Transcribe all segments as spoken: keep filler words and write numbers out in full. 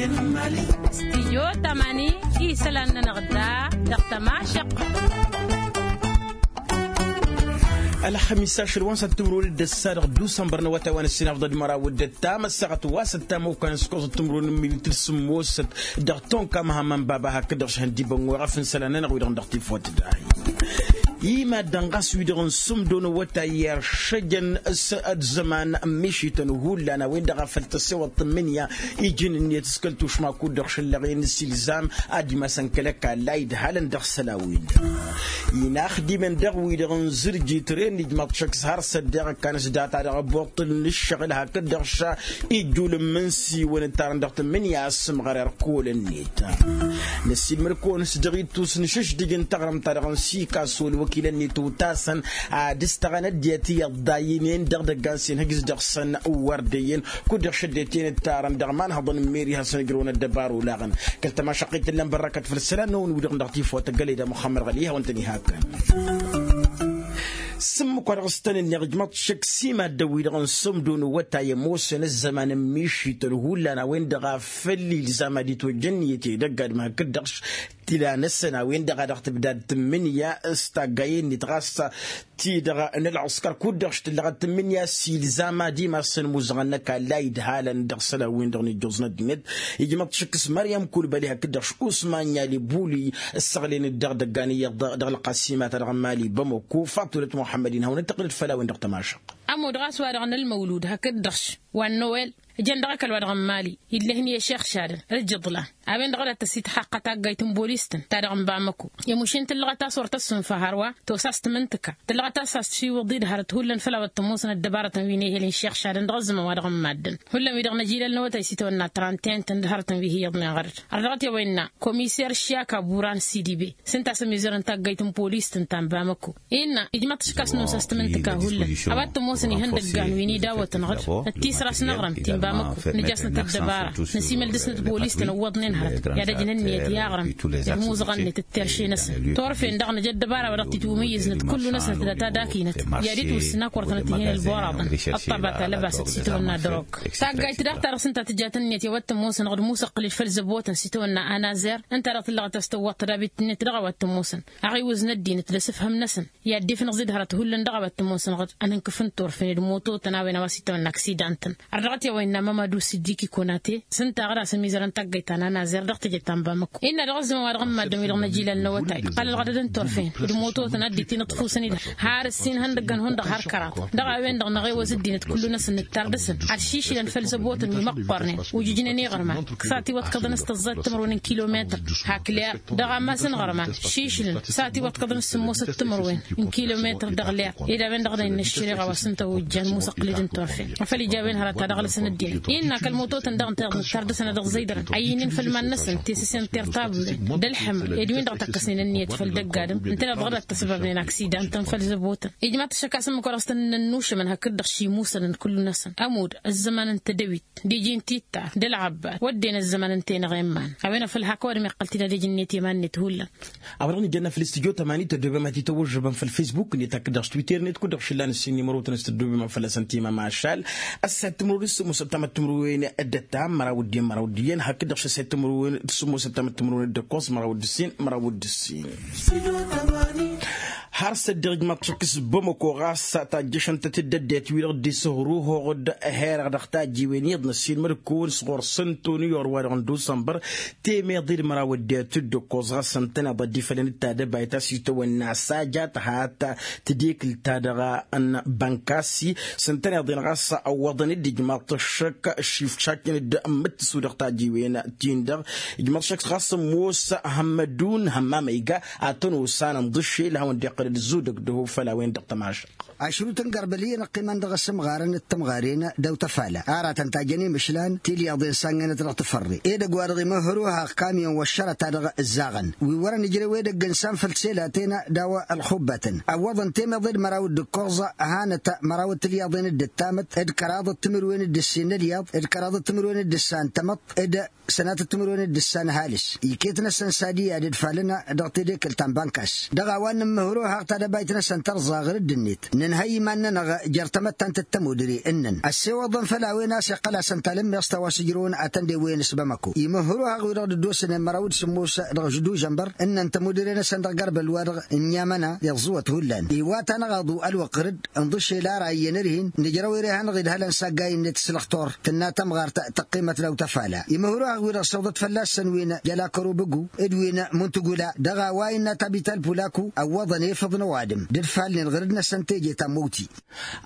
Stijyo tamani isălan-nănăɣ da dăɣ-tămašăqq. Ălxămis ašăl wa n-săt timrul d-ăssa dăɣ-dusănbăr n-awătay wa n-ăssinafḍăd măraw d-ăttam ăssaɣăt wa s-ăttam okănăn s-koẓăt timrul n-minit d-sǝmmosăt dăɣ-tonka măhămmăn baba hakd-dăɣ šăhăn d-ibăngoɣ afǝn isălan-nănăɣ wi-dăɣ n-dăɣ-tifot dahi. I-maddăn ɣas wi-dăɣ n-sǝmdo n-awătay i-ăššăjăn s-ăzzăman n-mišităn hullan a-wen-dăɣ a făl tăsewăḍ tǝmmǝnǝya ijǝn ǝnniyăt s-kăl-tušma kud-dăɣ šăllăɣen s-ilzam ad-imasăn kăl-ăkall a idhalăn dăɣ-isălan-win-dăɣ. Inaxdimen dăɣ-wi-dăɣ n-zǝrjit ren ijmaḍ šăkk s-har s-ăddeɣ ăkkan s-data dăɣ-ăbbuṭṭǝl n-ǝššăɣǝl hakd-dăɣ ša ijjul n-imǝnsiwăn ǝttarăn dăɣ-tǝmmǝnǝya a ăssǝmɣăr irkol-net. Năssiilmăd-kăwăn s-dăɣ-ittus n-išǝšdǝj n-taɣrǝmt-ta-dăɣ n-sikasu ălwăkil-net utasăn ad-ǝstăɣăn ăddinăt iyyăḍ dayǝnen dăɣ-idăggan s-inhǝjǝs dăɣ-săn wăr dd-iyyăn kud-dăɣ šăddetăn ǝttarăn dăɣ-imanhăḍăn n-meri hasăn-ǝjrăwăn ăddăbar olaɣăn. Kăl-tămašăqqit tǝllăn bărrăkăt făll-isălan-năwăn wi-dăɣ n-dăɣ-tifawt tăggălăy d-muxămmăd ɣăli hawăn-tăn-ihakăn. S-ǝmmǝk wa dăɣ-s tăn-ǝnneɣ ijmăḍ šăkk s-imaddăn-wi-dăɣ n-sămdo n-awătay ămoosăn ăzzăman n-mišităn hullan a-wen-dăɣ a făl ilzam ad-itwăjja ǝnniyăt i-idăgg ad-mahăkkăd dăɣ-tila-năsăn a-wen-dăɣ a dăɣ-tǝbdad tǝmmǝnǝya s-taggayen-net ɣas ti-dăɣ n-ălɣǝskăr kud-dăɣ š-tǝllăɣăt tǝmmǝnǝya s-ilzam ad-imassăn imuzăɣăn n-ăkall a idhalăn dăɣ-isălan-win-dăɣ n-ijjuẓ n-ăddinăt. Ijmăḍ šăkk s-măryăm kulbăli hakd-dăɣ š-usman yali buli ǝssăɣlăyăn-dd dăɣ-idăggan iyyăḍ dăɣ-ălqasima-ta-dăɣ n-imali bamăko faḍulăt muḥămmăd-in hawăn-dd-tăqqǝlăd făll-a-wen dăɣ-tămašăq. Ămudd ɣas wa-dăɣ n-ălmăwlud hakd-dăɣ š-wa n-nowel ǝjăn dăɣ-ăkall wa dăɣ-n imali illăh-in i-ašixšadăn ǝljiḍla a-wen-dăɣ a dat-tăsitxaqqa taggayt n-bolis-tăn ta dăɣ-n bamăko. I-mušin tǝllăɣăt a-s wăr tăssunfa hărwa tosa s-tǝmǝntǝka tǝllăɣăt a-s a-s tiwǝḍ-dd hărăt hullan făll-a-wa t-ămoosăn ăddăbarătăn wi n-ehel n-išixšadăn dăɣ-ăzzăman wa dăɣ-n maddǝn. Hullan wi-dăɣ n-ajilal n-awătay s-itawănna trăntăyăn-tăn d-hărătăn wi hi-iyyăḍnen ɣărăt. Ărdăɣăt i-a-wa innă komiser šiyaka buran sidibe s-ǝnta a-s ămizărăn taggayt n-polis-tăn ta n-bamăko. Innă ijmăḍ-t ǝškas-năwăn s-a-s tǝmǝntǝka hullan a-wa t-ămoosăn ihăndăggan wi n-idawătăn ɣǝd d-tisras n-aɣrǝm ti n-bamăko. Nǝjasnăt ăddăbara năsimăl dăr-snăt bolis-tăn ǝwwăḍnen hărăt i-ad-ăjn ǝnniyăt i-aɣrǝm d-imuzăɣăn-net d-terše-năsăn. Turfen daɣ năj ăddăbara wa dăɣ-t-itwǝmǝyyǝznăt kullu-năsnăt d-ad-tadakǝynăt i-ad-itwǝssǝn a kăwăr tănăt-ih'-en ălboraḍăn. Ăṭṭabat alăbasăt s-itawănna drog taggayt daɣ ta dăɣ-s ǝnta tǝja tǝnniyăt i-a-wa t-ămoosăn ɣǝd musăqqǝlăd făll-zăbotăn s-itawănna anazer ǝnta dăɣ-tǝllăɣăt a-s tăwwăḍ tădabit-net dăɣ-a-wa t-ămoosăn aɣiwǝz n-ăddinăt d-asǝfhăm-năsăn. I-ad-dd-ifnăɣ zid hărăt hullan dăɣ-a-wa t-ămoosăn ɣǝd ănǝnkǝf n-turfen d-mototăn a-wen a-wa s-itawănna aksidan-tăn. Ărdăɣăt i-a-wa innă mamadu siddiq ikonate s-ǝnta ɣǝd a-s ămizărăn taggăyt ta n-anazer dăɣ-teje ta n-bamăko. Innă dăɣ-ăzzăman wa dăɣ-n maddǝn wi-dăɣ n-ajilal n-awătay ǝqqăl ălɣădăd n-turfen d-mototăn ad-dd-itinǝḍfusăn-dd har ǝssin ihăndăggăn hundăɣ har kăraḍ. Dăɣ-a-wen-dăɣ năɣewăz ăddinăt kullu-năsăn nǝttar dăɣ-săn ad-šišǝlăn făll-zăbotăn wi măqqornen ujǝjnen iɣărman s-a tiwăḍkăḍăn s-tăẓẓayt timărwen n-kilometăr hak leer. Dăɣ-ammas n-iɣărman šišǝlăn s-a tiwăḍkăḍăn s-sǝmmosăt timărwen n-kilometăr dăɣ-leer. Ed a-wen-dăɣ dăɣ-innă ăššăreɣa wa s-ǝnta ojjan musăqqǝlăd n-turfen. Afăl ija a-wen hărăt ad-ăɣlăsăn ăddinăt innă kăl-mototăn daɣ ǝnta i-dăɣ nǝttar dăɣ-săn ad-ăẓẓăydărăn ăyyǝynen făll-iman-năsăn tesăse n-tertabulen d-ălḥămăr ed win-dăɣ takkăsnen ǝnniyăt făll-dăgg-adǝm ǝnta i-dăɣ dăɣ-dat-tăsbabnen aksidan-tăn făll-zăbotăn. Ijmaḍ-t ašăk a-s ǝmmǝk wa dăɣ-s tăn-innă ănnušămăn hakd-dăɣ šimusăn n-kullu-năsăn ămudd ăzzăman n-tedăwit d-iji n-titta d-ălɣăbbar wădden ăzzăman ǝnta-i-năɣ i-iman. A-wen afăl hak ăwadǝm iqqăl-t-dd ad-ija ǝnniyăt i-iman-net hullan. A-wa dăɣ-nǝjănna făll-istudyo tămani tăddobem ad-t-tăwwăžžăbăm făll-fesbuk-net hakd dăɣ-s twitter-net kud-dăɣ šǝllan ǝssin n-imărotăn a-s tăddobem fălla-săn timămašal. Ăssayăt timǝrwen d-sǝmmosăt tamăt timǝrwen d-ăttam măraw d-iyyăn măraw d-iyyăn hakd dăɣ-s ăssayăt timǝrwen d-sǝmmosăt tamăt timǝrwen d-ăkkoẓ măraw d-ǝssin măraw d-ǝssin. Har s-ăddiɣ ijmaḍ-t šăkk s-bamăko ɣas tajjăšăn-tăt-dd ăddinăt-wi-dăɣ dd-isǝhruhoɣ d-herăɣ dăɣ-tajjiwen iyyăḍ n-ăssiilmăd-kăwăn s-ɣur-săn toni i-orwa-dăɣ n-dusănbăr temeḍe d-măraw ăddinăt d-ǝkkoẓ ɣas ǝntăneḍ ăddifălăn d-tadăbayt a-s itawănna saja tăhat tadekǝlt-ta-dăɣ n-bănkasi s-ǝntăneḍ-en ɣas ăwwăḍăn-dd ijmaḍ-t šăkk šifšaknen-dd ǝmmǝttǝsu dăɣ-tajjiwen-tin-dăɣ. Ijmaḍ šăkk ɣas ămoos hămmădun hămmamăyga ad-tăn-osan ǝnḍǝšel hawăn-dd-iqqăl d-zudăg d-ehăw făll-a-wen-dăɣ tămašăq. Ašrut n-gărbăl iyyăn ăqqimăn dăɣ-asǝmɣar n-ǝttǝmɣaren d-awt ăfala ara tăn-tajjăn imǝšlan tilyaḍen sangănăt dăɣ-tǝfărre edăgg wa dăɣ-imǝhhăr ohaɣ kamyon wăššărăt-a-dăɣ ǝzzaɣăn wi wărăn ǝjrăw edăgg n-sanfăl tiselatena d-a-wa ălxubbătăn ăwwăḍăn temăḍe d-măraw d-ǝkkoẓ. Hanăt măraw d-tilyaḍen d-ǝttamăt d-kăraḍăt timǝrwen d-ǝssin n-ălyaḍ d-kăraḍăt timǝrwen d-ǝssan tamăḍt d-sănatăt timǝrwen d-ǝssan ăhalǝs. Iket-năsăn sadi i-ad-ǝdfalăn dăɣ-tedekkălt ta n-bankas dăɣ-a-wa n-nǝmmǝhǝr ohaɣ tadăbayt-năsăn tărẓa ɣǝr-dd-net. Ǝnhăy iman-nănăɣ jer-tamăttant d-tămudre ǝnnăn ăssewăḍăn făll-a-wen a-s iqqăl asăn talǝmmeẓt a-wa s-ǝjrǝwăn atăn d-ewwăyăn s-bamăko. Imǝhhǝru-haɣ-wi-dăɣ dd-dd-osănen măraw d-sǝmmos dăɣ-ždujănbăr ǝnnăn tămudre-năsăn dăɣ-garbăl wa-dăɣ n-iyyamăna iẓẓǝwăt hullan iwat-anăɣ aḍu ălwăqq rǝdd. Ǝnḍǝšel ara iyyăn ărhin nǝjrăw ere-hanăɣ-dd hălăn s-aggay-net s-lăxtur tǝnna tămɣart tăqqimăt daw-tăfala. Imǝhhǝru-haɣ-wi-dăɣ săwḍăt fălla-săn wi n-jălakăru bǝgu d-wi n-muntugula dăɣ-a-wa innă tabital pulaku ăwwăḍăn efăḍ n-ăwadǝm d-ǝdfalnen ɣǝrǝd-năsăn teje ta n-măwti.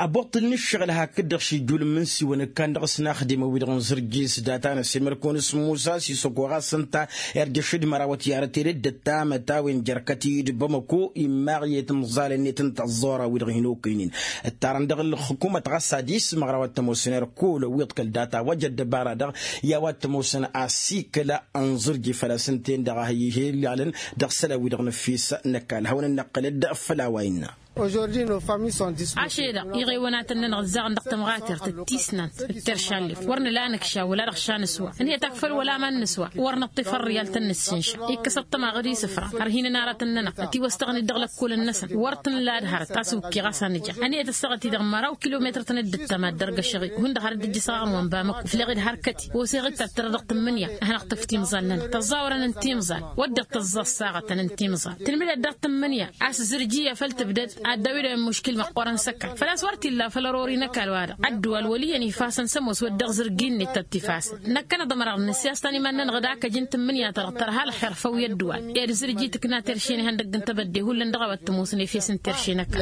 Aboṭṭǝl n-ǝššăɣǝl hakd-dăɣ šijjul n-imǝnsiwăn ǝkkan dăɣ-s naxdimăn-wi-dăɣ n-zărjis data n-ăsimărkăwăn s-musa s-isăkoɣ a-s ǝnta irjăšăd mărawăt i-arăt edăt d-tamăt a-wen jer-kăt-i d-bamăko immaɣ i-timẓal-net n-tăẓẓora-wi-dăɣ hin-okăynen. Ǝttarăn dăɣ-ǝlxǝkumăt ɣas ad-ismăɣrăw ad-t-ămoosăn ărkol ăwwiḍ kăl-data wa jăr ăddăbara-dăɣ i-a-wa t-ămoosăn asikăl n-zărji făl-a-s ǝnta-en-dăɣ a hi-ilalăn dăɣ-isălan-wi-dăɣ n-ǝffis. N-ăkall hawăn-ănnăqqǝlăd făll-a-wa innă. Ašăl-e-dăɣ iɣewanatăn-nănăɣ ǝzzaɣăn dăɣ-tămɣatert d-tisnant d-teršallef wăr nǝla anǝkša wăla dăɣ-šanǝswa ǝnhăyăt akfăl wăla ma n-nǝswa. Wăr nǝṭṭif ărrǝyal tăn-nǝssǝnša ikkăs ăṭṭămaɣ d-isǝfra ărhinăn aratăn-nănăɣ ătiwăstăɣăn-dd dăɣ-lăkkolăn-năsăn. Wăr tǝnǝla ad-hărăt a-s wǝkkeɣ a-s anǝja ănhăyăt ăssaɣăt-i-dăɣ măraw kilometăr-tăn dd-ǝttămad dăr-găšăɣ-i hundăɣ har dd-ǝjjǝsăɣ aɣrǝm wa n-bamăko fleɣ-dd hărkăt-i oseɣ-dd tattărăɣ dăɣ-tǝmmǝnǝya a hanăɣ-tǝf timẓal-nănăɣ tăẓẓawărăn n-timẓal. Wăr dd-tăẓẓa ăssaɣătăn n-timẓal tǝlmǝdăd dăɣ-tǝmmǝnǝya a-s zǝrji a făl tǝbdăd ad-dd-awǝdăn muškil măqqoorăn s-ăkall făl-a-s wăr t-illa făll-ărori n-ăkall-wa-dăɣ. Ăddǝwal wăl' iyyăn ifasăn s-ămoos wădden zǝrgi-net tăt-ifasen. Năkkăneḍ ămăra dăɣ-nǝssi a-s tăn-iman-nănăɣ d-akăj n-tǝmmǝnǝya-ta-dăɣ tărha ălxer făw i-ăddǝwal ed zǝrji tǝkna terše n-ihăndăgg n-tebădde hullan dăɣ-a-wa t-ămoosăn efes n-terše n-ăkall.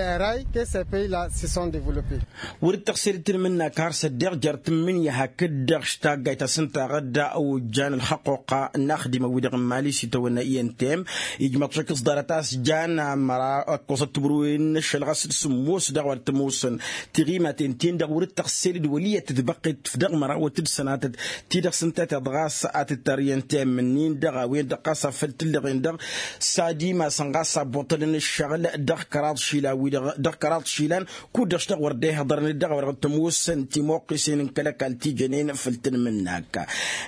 Wăr-dd tăɣsed d-tǝlmǝnnak har s-ăddeɣ jer-tǝmmǝnǝya hakd-dăɣ taggayt a-s ǝnta ɣǝdda ojjan ălxăqquqa n-axdimăn-wi-dăɣ n-mali s-itawănna i n t m. Ijmăḍ šik s-ḍarăt a-s jan amăra ăkkoẓăt tǝbrǝwen n-ašăl ɣas d-sǝmmos dăɣ-wa t-ămoosăn tiɣimaten-ten-dăɣ wăr-dd tăɣsed d-wăl' iyyăt tǝdbăqqet făll-dăɣ mărawăt d-sănatăt ti-dăɣ s-ǝnta a teḍɣas ad-tǝttar i n t m-nin-dăɣ a-wen-dăɣ ɣas a făl t-ǝllăɣen dăɣ-s ad-imasăn ɣas a ăbbuṭălăn ǝššăɣǝl dăɣ-kăraḍ išilan kud-dăɣ s-dăɣ wăr dd-ehăḍărăn d-dăɣ-a-wa dăɣ-t-ămoosăn timuqqisen n-kăl-ăkall ti jănen făll-tǝnmǝnnak.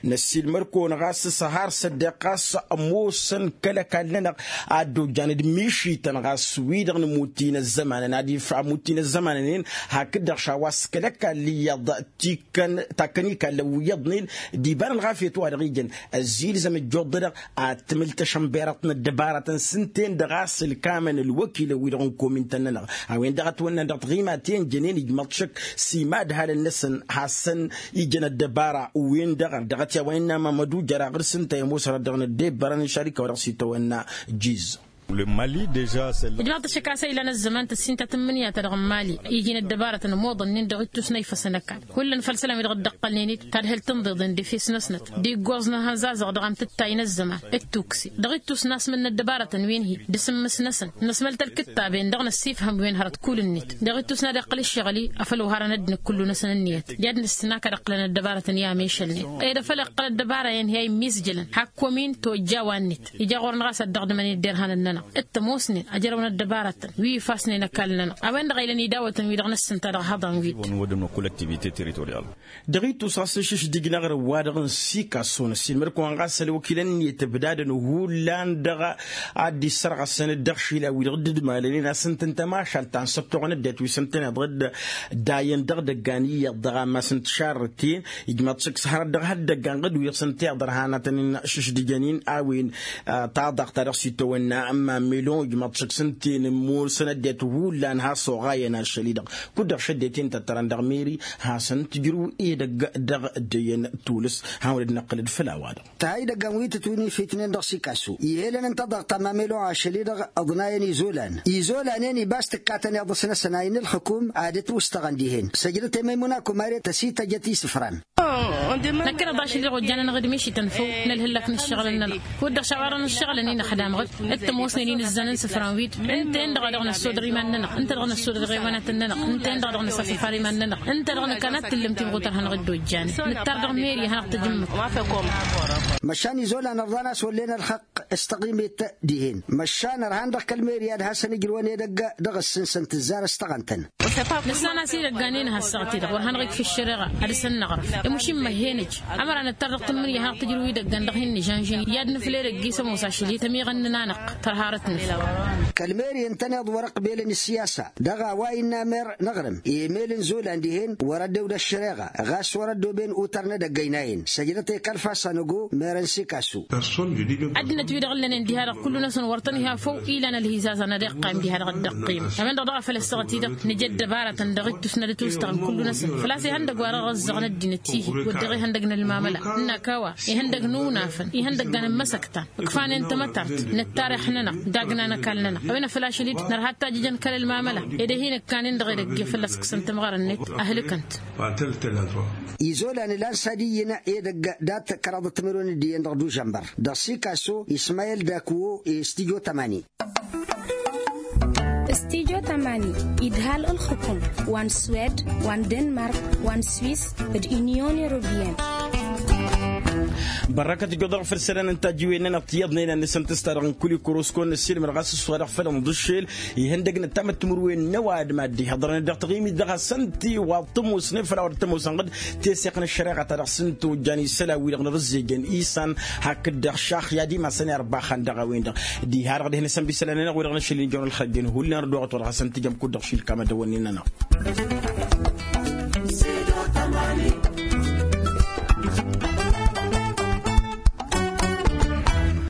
Năssiilmăr-kăwăn ɣas s-har s-ăddeɣ ɣas ămoosăn kăl-ăkall-nănăɣ ad-dd-ojjan d-mišităn ɣas wi-dăɣ n-amuttin ăzzămanăn ad-ifra amuttin ăzzămanăn-en hakd-dăɣ šawa s-kăl-ăkall iyyăḍ tikkăn takkăn ikallăn wi iyyăḍnen d-iba n-ălɣafyăt wa dăɣ-ijăn ăzzilzăm ăjjoḍ-dăɣ ad-tǝmǝl tăšănberăḍt n-ăddăbarătăn s-ǝnta-en-dăɣ a-s ǝlkamăn ălwăkilăn-wi-dăɣ n-komintăn-nănăɣ. A-wen-dăɣ ătwănnan dăɣ-tiɣimaten jănen ijmăḍ šăkk s-imadhalăn-năsăn hasăn-ijăn ăddăbara wen-dăɣ ărdăɣăt i-a-wa innă mamădu jăraɣ d-s ǝnta i-ămoos hărăt dăɣ-năddebbărăn n-išarika wa dăɣ-s itawănna jiz. Ijmăḍ-t ăššăk a-s ăylan ăzzăman tăssintăt n-imǝnǝya ta dăɣ-n mali iji n-ăddăbarătăn ămoḍănnen dăɣ-ittus n-a ifăsăn ăkall. Hullan făll-isălan-wi-dăɣ dd-ǝqqălnen-dd tad-hăl tǝnḍeḍen d-efes-năsnăt d-iggoẓ n-ahănzazăɣ dăɣ-amtǝttay n-ăzzăman d-tukse dăɣ-ittus n-asmǝl n-ăddăbarătăn wi n-hi d-asǝmmǝs-năsăn năsmăl-t ălkǝttab-en dăɣ-năssifhăm wi n-hărăt kull-net. Dăɣ-ittus n-ad-iqqăl ǝššăɣǝl-i afăl oharăn ăddinăt kullu-năsăn ǝnniyăt i-ad-nǝssǝn a kăd-ǝqqǝlăn ăddăbarătăn i-amešălnen ed afăl iqqăl ăddăbara-en hi-a immizjălăn hakk omin tojja wa-net. Ija ɣur-năɣ a-s ad-dăɣ-dămăn i-dd-irhan ănnănăɣ d-tămoosnen ăjrăwăn ăddăbarătăn wi ifassnen ăkall-nănăɣ. A-wen-dăɣ a ilăn idawătăn wi-dăɣ n-ǝssǝnta dăɣ-ihăḍan-win. Dăɣ-ittus ɣas n-išǝšdǝjnăɣ dăɣ-wa-dăɣ n-sikasso n-ăssiilmăd-kăwăn ɣas ălwăkilăn-net ǝbdadăn hullan dăɣ-ad-dd-issărɣăsăn d-dăɣ-išilan-wi-dăɣ dd-ǝdmalănen a-s ǝntăn tămašalt ta n-săttoɣăn ăddinăt wi s-ǝntăneḍ d-dayăn dăɣ-idăggan iyyăḍ dăɣ-ammas n-tišarrăten. Ijmăḍ-t šăkk s-hărăt dăɣ-ha dd-ăggan ɣǝd wi s-ǝnta iḍărhanătăn šǝšdǝjăn-in a-wen taḍaɣt ta dăɣ-s itawănna n-mamilon ijmăḍ-t šăkk s-ǝnta-en ǝmmosăn ăddinăt hullan has-oɣayăn ašăl-i-dăɣ kud-dăɣ šăddeten tăttărăn dăɣ-meri. Hasăn-tǝjrǝw edăgg dăɣ-ăddăyăn tulǝs. Hawăn-dd-năqqǝlăd făll-a-wa-dăɣ. Tăha idăggan wi tǝtwǝnifitnen dăɣ-sikasu ihălăn ǝnta ḍaɣ tamamelo ašăl-i-dăɣ. Ǝḍnayăn izolan izolan-en iba a-s tǝkkatăn iḍǝs-năsăn a innă ǝlxǝkum ad-ǝtwǝstăɣăn dihen săjdăt i-măymuna kumare tăsităjăt isǝfran. Năkkăneḍ ašăl-i-dăɣ ojjanăn ɣǝd mišităn făw n-ălhǝllak n-ǝššăɣǝlăn-nănăɣ kud-dăɣ šawarăn ǝššăɣǝlăn-i năxdam ɣǝd. D-tămoosnen-i nǝzzan n-isǝfran-wi-dăɣ ǝnta-en-dăɣ a dăɣ-năssodăr iman-nănăɣ ǝnta dăɣ-năssodăr iɣewanatăn-nănăɣ ǝnta-en-dăɣ a dăɣ-năsafăfar iman-nănăɣ ǝnta-dăɣ nǝkkan ad-t-tǝllǝm timɣut ărhănăɣ-dd ojjanen. Nǝttar dăɣ-meri ad-hanăɣ-tăjǝmmǝt. Măšan izolan ărḍan a-s wăllen ălxăqq. S-taɣimet dihen măšan ărhan dăɣ-kăl-meri ad-hasăn-ǝjrǝwăn edăgg dăɣ-ǝssǝnsăn tǝzzar s-taɣăntăn. Nǝssan a-s idăggan-in a has-săɣtedăɣ wăr hanăɣ-ikf ǝššăreɣa ad-săn-năɣrǝf. Ămušin măhhenăj ămăra nǝttar dăɣ-tǝmmǝnǝya hanăɣ-tǝjrǝw idăggan dăɣ-hin-nǝžănžăn i-ad-nǝfled ăgg-isămoos ašăl i-tămiɣăn-nǝnanăɣ tărharăt-nǝf. Kăl-meri ǝntăneḍ wăr-ăqbelăn ǝssiyasa dăɣ-a-wa innă mer n-aɣrǝm emel n-zolan dihen wăr-ăddewd ăššăreɣa ɣas wăr-ăddoben utăr n-edăgg ăynayăn săjdăt i-kăl-fasa n-ăgo mer n-sikasu. Ăddinăt-wi-dăɣ ǝllănen diha-dăɣ kullu-năsăn wăr tăn-iha făw ilan ălhizazăn ad-iqqayǝm diha-dăɣ dd-ăqqim. A-wen-dăɣ daɣ a făl ăssaɣăt-i-dăɣ nǝja ăddăbarătăn dăɣ-ittus n-ad-ătwǝstăɣăn kullu-năsăn făl-a-s ihăndăg wa dăɣ-ăẓẓăɣăn ăddinăt-i-hi wădden ihăndăg n-ălmamăla ǝnnak a-wa ihăndăg n-unafăn ihăndăggan n-imăsăktan ǝkfanen tamătart n-ăttarix-nănăɣ dagna n-ăkall-nănăɣ. A-wen a făl ašăl-i-dd nărha ăttajjăjăn kăl-ălmamăla ed ehin-ǝkkanen dăɣ-edăgg i-fălla-s ǝkkǝsăn timɣarăn-net ăhlǝkăn-t. Izolan ilan s-ad-iyyǝn edăgg dat-kăraḍăt timǝrwen d-iyyăn dăɣ-dužănbăr dăɣ-sikaso ismayel dakuwo. Stijo tămani. Stijo tămani idhal ǝlxǝkum wa n-swed wa n-denmark wa n-swis d-inyon europiyăn. Bărrăkăt ǝjjoḍăɣ făll-isălan n-tajǝwen-nănăɣ tiyyăḍnen ad-nǝsǝntǝs-ta-dăɣ n-kul-ikăros kăwăn-năssiilmăd ɣas s-wa dăɣ-făll-inḍǝššel ihăndăg n-ăttamăt timǝrwen n-ăwadǝm ad-dd-ihaḍărăn dăɣ-taɣimit dăɣ-hasăn-t-iwaḍ tămoosnen făll-a-wa dăɣ-tămoosăn ɣǝd tesseɣt n-ăššăreɣa ta dăɣ-s n-tojjan isălan-wi-dăɣ n-arǝzzejăn isan hakd-dăɣ šaxya d-imasăn i-ărbaxăn dăɣ-a-wen-dăɣ. Diha-dăɣ dihen isănbisălăn-nănăɣ wi-dăɣ n-ašăl-in ijăwăn ălxăjjăn hullan ărdooɣăt wa dăɣ-hasăn-t-ijăm kud-dăɣ šilkam ad-dăwănnen-nănăɣ.